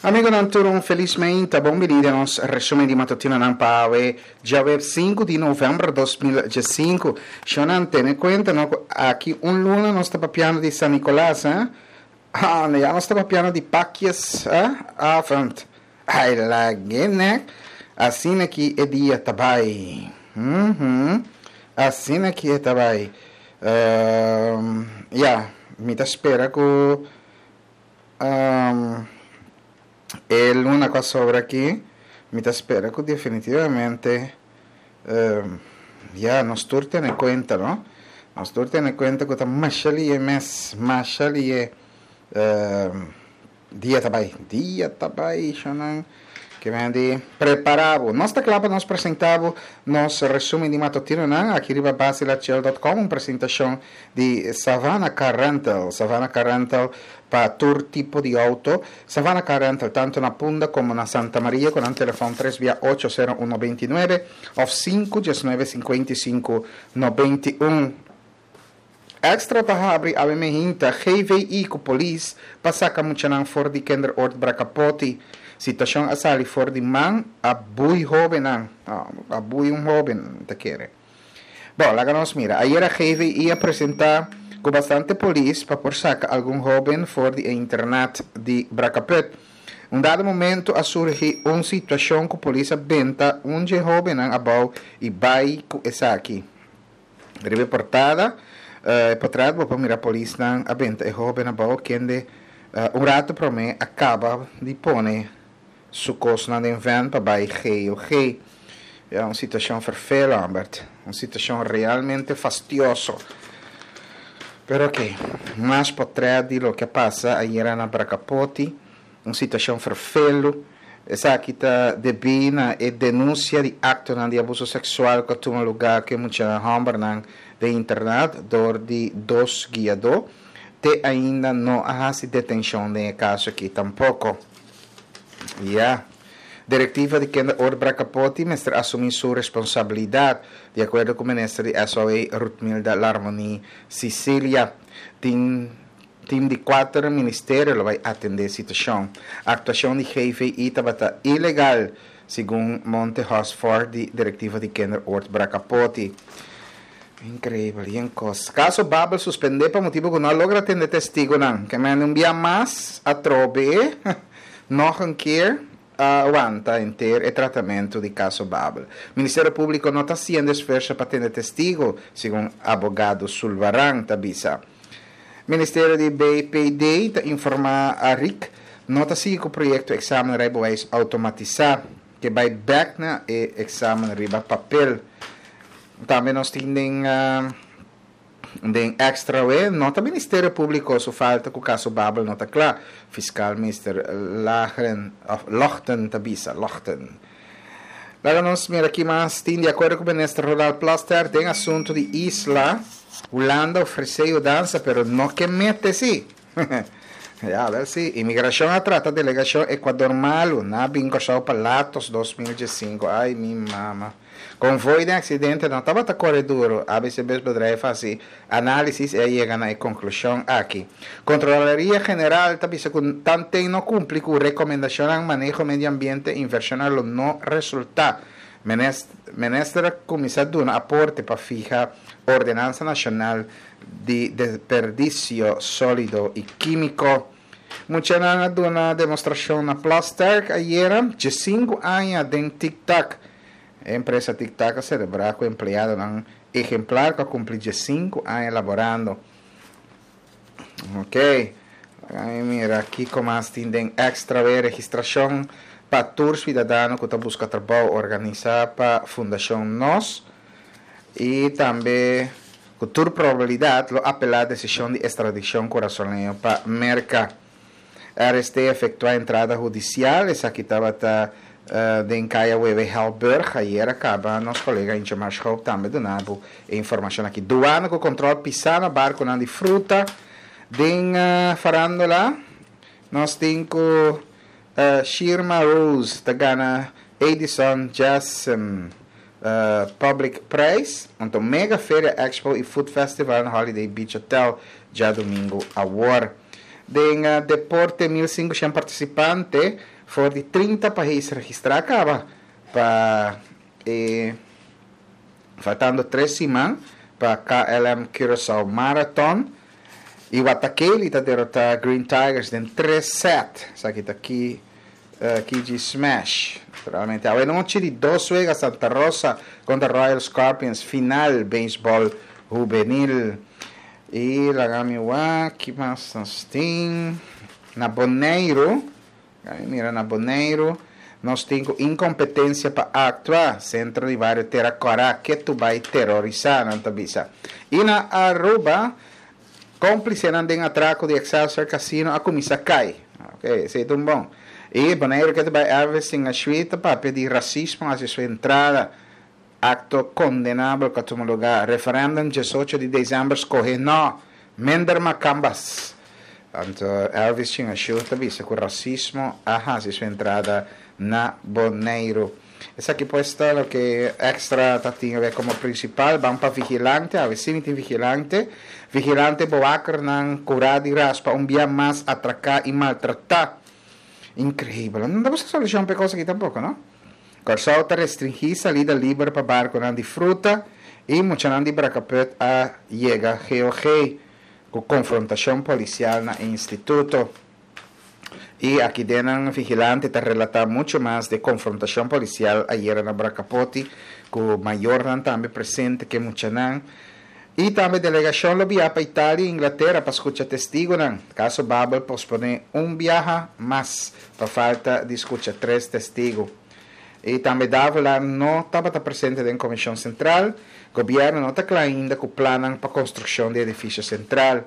Amigonan tur un felis meinta, bon bini den nos resumen di matutinonan pa awe djaweps sinku di november 2015. Shonnan tene kuenta no ku aki un luna nos ta papiando di San Nicolas eh? Ah, ya nos ta papiando di pakjes eh? Avond. Ai lag'e nek. Asina ki e dia ta bai. Uhum. Asina ki e ta bai. Ehm, ya, mi ta spera ku ehm, e luna ku a sobra aki, mi ta spera ku definitivamente ehm, ya, nos tur tene kuenta, no? Nos tur tene kuenta ku ta masha lihe mes, masha lihe. Ehm. Dia ta bai, dia ta bai, shonnan. Ke men di prepara bo. Nos ta kla pa nos presenta bo nos resumen di matutinonan aki riba basilachel dot com, un presentashon di Savannah Car Rental. Savannah Car Rental pa tur tipo di auto. Savannah Car Rental tanto na Punda komo na Santa Maria ku nan telefòn tres bia ocho sero uno beinti nuebe òf sinku diesnuebe sinkuenta i sinku nobenta i un. Extra ta habri awe mehinta GVI ku polis pa saka muchanan for di Kinderoord Brakapoti. Situashon a sali for di man a bui hobennan, a bui un hoben mi ta kere. Bon, laga nos mira. Ayera GVI a presenta ku bastante polis pa por saka algun hoben for di e internat di Brakaput. Un dado momento a surgi un situashon ku polis a benta un dje hobennan abou i bai ku esaki. Riba e portada, e potret bo por mira polisnan a benta e hoben abou kende un rato prome a caba di pone su cosnan den van pa bay GOG. Ya un situacion verveel Albert, un situacion realmente fastioso. Pero ok, mas potret di loke a pasa ayera na Bracapoti. Un situashon ferfelu. Esaki ta debí na e denunsia di aktonan di abuso seksual ku a tuma lugá ku e muchanan hòmbernan den internat dor di dos guiadó. Te ainda no a hasi detenshon den e kaso aki tampoko. Ya. Direktiva di Kinderoord Brakapoti mester asumí su responsabilidat, di akuerdo ku minister di SOA Ruthmilda Larmonie Cicilia. Tin. Tim di kuater ministerio lo bai atendé situashon. Aktuashon di GVI tabata ilegal, segun Monte Hosford di direktiva di Kinderoord Brakapoti. Inkreibel, yen kos. Kaso Babel suspendé pa motibu ku no a logra tende testigunan. Ke mende un bia mas atrobe, nog een keer, a wanta henter e tratamentu di kaso Babel. Ministerio Públiko no ta hasiendo esfuerso pa tende testigu, segun abogado Sulvaran ta bisa. Ministerio di BPD ta informa Arik no ta sigui ku proyekto eksamen rijbewijs outomatisá, ke bai bèk na e eksamen riba papel. Tambe nos tin den den extra we, no ta Ministerio Públiko su falta ku kaso Babel no ta kla, fiskal Mister Lagren òf Logten ta bisa, Logten. Laga nos mira ki mas tin di akuerdo ku Minister Ronald Plasterk den asuntu di isla. Hulanda ofresé yudansa pero no ke mete si. Ya, wel si. Imigrashon a trata delegashon Ecuador malu. Nan a bin Kòrsou pa Latos 2015. Ai mi mama. Konvoi den aksidente no tabata kore duru. ABC Busbedrijf a hasi análisis i a yega na e konklushon aki. Kontrolaria General ta bisa ku tanten no kumpli ku rekomendashonnan maneho medio ambiente invershonnan lo no resultá. Minister a kuminsá duna aporte pa fiha ordenansa nashonal di desperdisio sólido i kímiko. Muchanan a duna demostrashon na Plasterk ayera, diesinku aña den Tic Tac. E empresa Tic Tac a selebrá ku empleadonan ehemplar ku a kumpli diesinku aña laborando. Ok, laga mi mira kiko mas tin den extra we registrashon pa tur suidadano ku ta buska trabou organisá pa Fundashon Nos i tambe ku tur probabilidat lo apelá desishon di estradikshon kurasoleño pa Merka. RST efectua entrada hudicial, esaki tabata den Kaya Wewe Helburg, ayer a caba nos colega Ingemar Schoop tambe duna bo e informacion aki. Duana cu control pisa na barconan di fruta den farandola, nos tin cu Shirma Rose ta gana Edison Jassem Public Prijs, anto Mega Feria Expo y Food Festival na Holiday Beach Hotel djadomingo awor. Den deporte 1500 partisipante for di 30 pais registrá kaba pa e faltando 3 siman pa KLM Curaçao Marathon. I Watakeli ta derotá Green Tigers den 3 set. Esaki ta ki Kiji Smash. Naturalmente awe nochi di dos wega Santa Rosa kontra Royal Scorpions final beisbòl hubenil. I laga mi wak ki mas nos tin na Boneiru. Laga mi mira na Boneiru. Nos tin ku inkompetensia pa aktua. Sentro di bario Tera Kòrá ketu bai terorisá, nan ta bisa. I na Aruba Cómplicenan den atraco di Excelsior Casino a cuminsa cay. Ok, esey ta un bon. Y Boneiru ke ta bay Elvis sin Ashui ta papia di racismo haci su entrada. Acto condenabel cu a tuma lugar. Referendum 18 di december scoge no. Minder macambas. Anto Elvis Chin Ashu ta bisa cu racismo a haci su entrada na Boneiru. Esaki pues ta loke Extra ta tin awe como principal. Ban pa Vigilante, awe si mi tin Vigilante. Vigilante boakernan cura di raspa un bia mas atraca y maltrata. Increibel. No ta busca solucion pa e cos aki tampoco, no? Corsou ta restringi salida liber pa barconan di fruta y muchanan di Brakkeput a yega GOG cu confrontacion policial na e instituto. Y aki den nan vigilante ta relata mucho mas de confrontacion policial ayera na Bracapoti cu mayornan tambe presente ke muchanan. Y tambe delegacion lo bia pa Italia y Inglatera pa scucha testigonan. Caso Babel pospone un biaha mas pa falta di scucha tres testigo. Y tambe Davelaar no tabata presente den Comision Central. Gobierno no ta cla ainda cu plannan pa construccion di edificio central.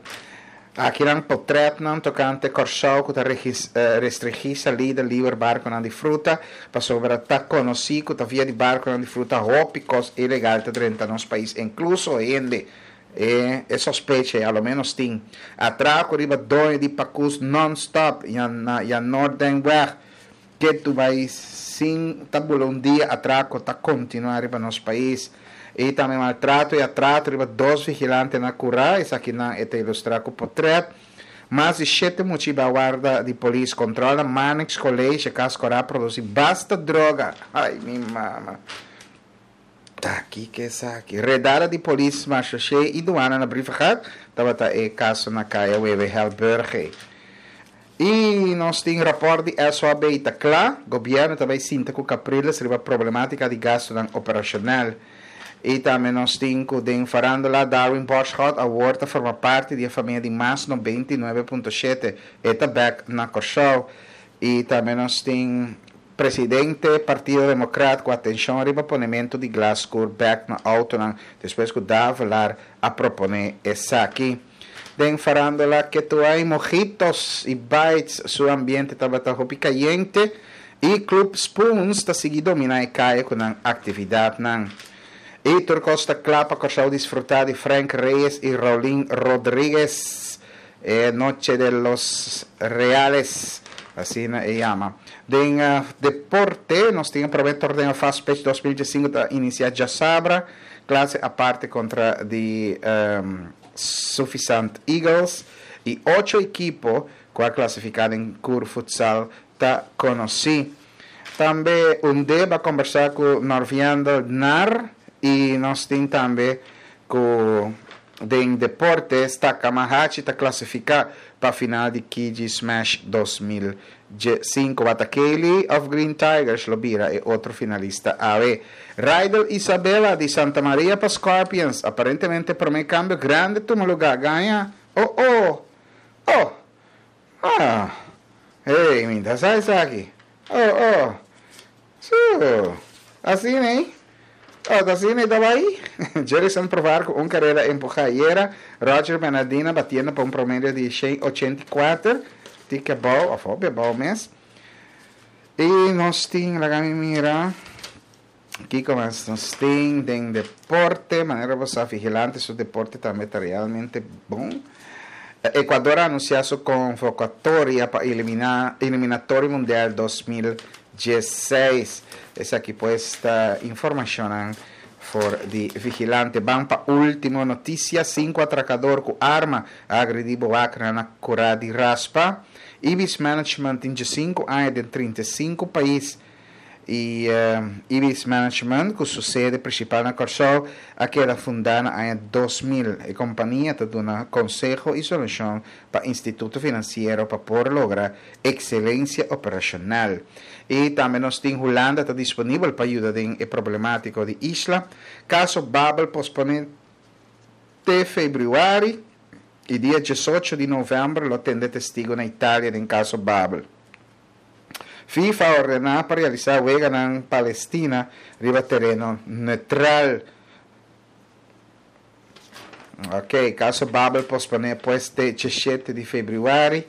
Akinan potrètnan tokante Kòrsou ku ta restringí salida liber barkunan di fruta, pasobra ta konosí ku ta via di barkunan di fruta hopi kos ilegal ta drenta nos pais, inkluso hende. E e sospecha ei a lo ménos tin. Atrako riba doño di pakus nònstòp na Jan Noordenweg Ketu bai sin ta bula un dia atraco ta continua riba nos pais. Y tambe maltrato y atrato riba dos vigilante na cura, esakinan e ta ilustra cu potret. Mas di shete mucha iba warda di polis control na Marnix College, cas cora produci basta droga. Ay mi mama. Ta kiko esaki? Redada di polis Marchaussee y duana na Brievengat tabata e caso na Caya Wewe Helburge. Y nos tin rapport di SOAB ta cla, gobierno ta bay sinta cu Capriles riba problematica di gastonan operacional. Y tambe nos tin cu den farandola Darwin Borschot awor ta forma parti di e famia di Mas 99.7, e ta bek na Corsou. Y tambe nos tin Presidente Partido Democrat cu atencion riba ponemento di glas scur bek na autonan despues cu Davelaar a propone esaki. Den farandola Ketuai Mojitos y Bites su ambiente tabata hopi cayente y Club Spoons ta sigui domina e caye cu nan actividadnan. Y tur cos ta cla pa Corsou disfruta di Frank Reyes y Raulin Rodriguez. E Noche de los Reales, asina e yama. Den deporte, nos tin e prome torneo Fast Pitch 2015 ta inicia djasabra, clase aparte contra di Suffisant Eagles y ocho ekipo cu a clasifica den Cur Futsal ta conoci. Tambe Undeb a combersa cu Norviando Nar y nos tin tambe cu Den deporte, Staka Mahachi ta clasifica pa final di Kiji Smash 2015. Watakeli of Green Tigers lo bira e otro finalista awe. Rydel Isabella di Santa Maria pa Scorpions. Aparentemente prome cambio grande tuma lugar. Gaña? Oh oh! Oh! Ah! Hey, mi ta sa esaki. Oh, oh. Su. Asina, eh? Oh, ta asina e ta bai? Jerison probar cu un carera empuja ayera. Roger Bernardina batiendo pa un promedio di 184. Tic abou, of hopi abou mes. Y nos tin, laga mi mira. Kiko mas nos tin den deporte? Manera bo sa, Vigilante su deporte tambe ta realmente bon. Ecuador a anuncia su convocatoria pa elimina eliminatorio mundial 2016. Esaki pues ta informacionnan. for di vigilante. Ban pa ultimo noticia, Cinco atracador cu arma a agredi bewakernan na Cura di Raspa. Ibis Management tin djesinco aña den 35 pais y Ibis Management cu su sede principal na Corsou a keda funda na aña 2000. E compania ta duna conseho y solucion pa instituto financiero pa por logra excelencia operacional. Y tambe nos tin Hulanda ta disponibel pa yuda den e problematico di isla. Caso Babel pospone te februari y dia 18 di november lo tende testigo na Italia den caso Babel. FIFA a ordena pa realisa weganan Palestina riba tereno neutral. Ok, caso Babel pospone pues te 17 di februari.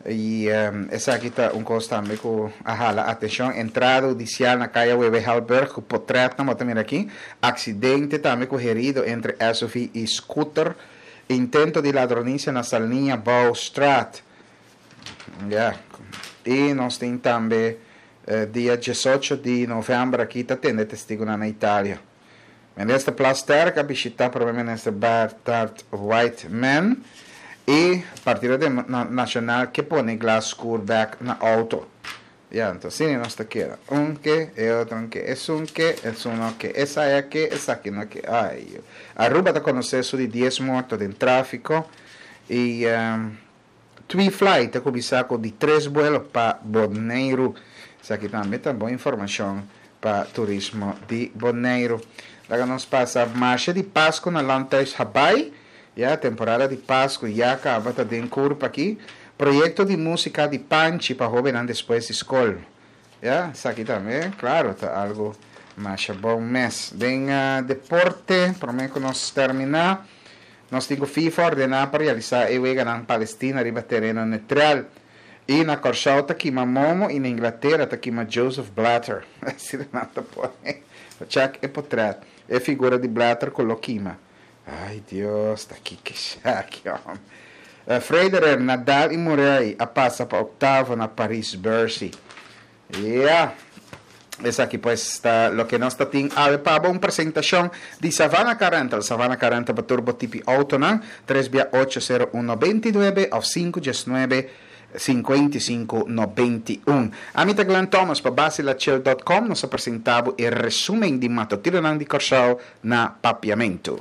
Y esaki ta un cos tambe cu a hala atencion. Entrada hudicial na Caya Wewe Helberg cu potret nan bo ta mira aki. Accidente tambe cu herido entre SUV y scooter. Intento di ladronicia na Salniña Bouwstraat. Ya. Y nos tin tambe dia 18 di november aki ta tende testigonan na Italia. Minister Plasterk a bishita Prome Minister Bernard Whiteman y Partido Nacional ke pone glas scur bek na auto. Ya, anto asina nos ta keda. Un ke, e otro un ke, esun ke, esun no ke, esaya ke, esaki no ke. Ay, Aruba ta conoce su di 10 morto den trafico y Tui Fly ta cuminsa cu di tres buelo pa Boneiru. Esaki tambe ta bon informacion pa turismo di Boneiru. Laga nos pasa Marshe di Pascu na Landhuis Habaai. Ya, temporada di Pascu ya caba ta den curpa aki. Proyecto di musica di Panchi pa hobennan despues di scol. Ya, esaki tambe, claro, ta algo masha bon mes. Den deporte, prome cu nos termina, nos tin cu FIFA ordena pa realisa e weganan Palestina riba tereno neutral. Y na Corsou ta kima Momo y na Inglatera ta kima Joseph Blatter. Asina nan ta pone. Check e potret. E figura di Blatter cu lo kima. Ay Dios, ta kiko esaki hombre. Federer, Nadal y Murray a pasa pa octavo na Paris Bercy. Ya. Esaki pues ta loke nos ta tin awe pa bo, un presentacion di Savannah Car Rental. Savannah Car Rental pa tur bo tipi autonan, 3 bia 8 0 1 29 of 5 19 55 91. Ami ta Glenn Thomas pa Basilachel.com nos a presenta bo e resumen di matutinonan di Corsou na Papiamentu.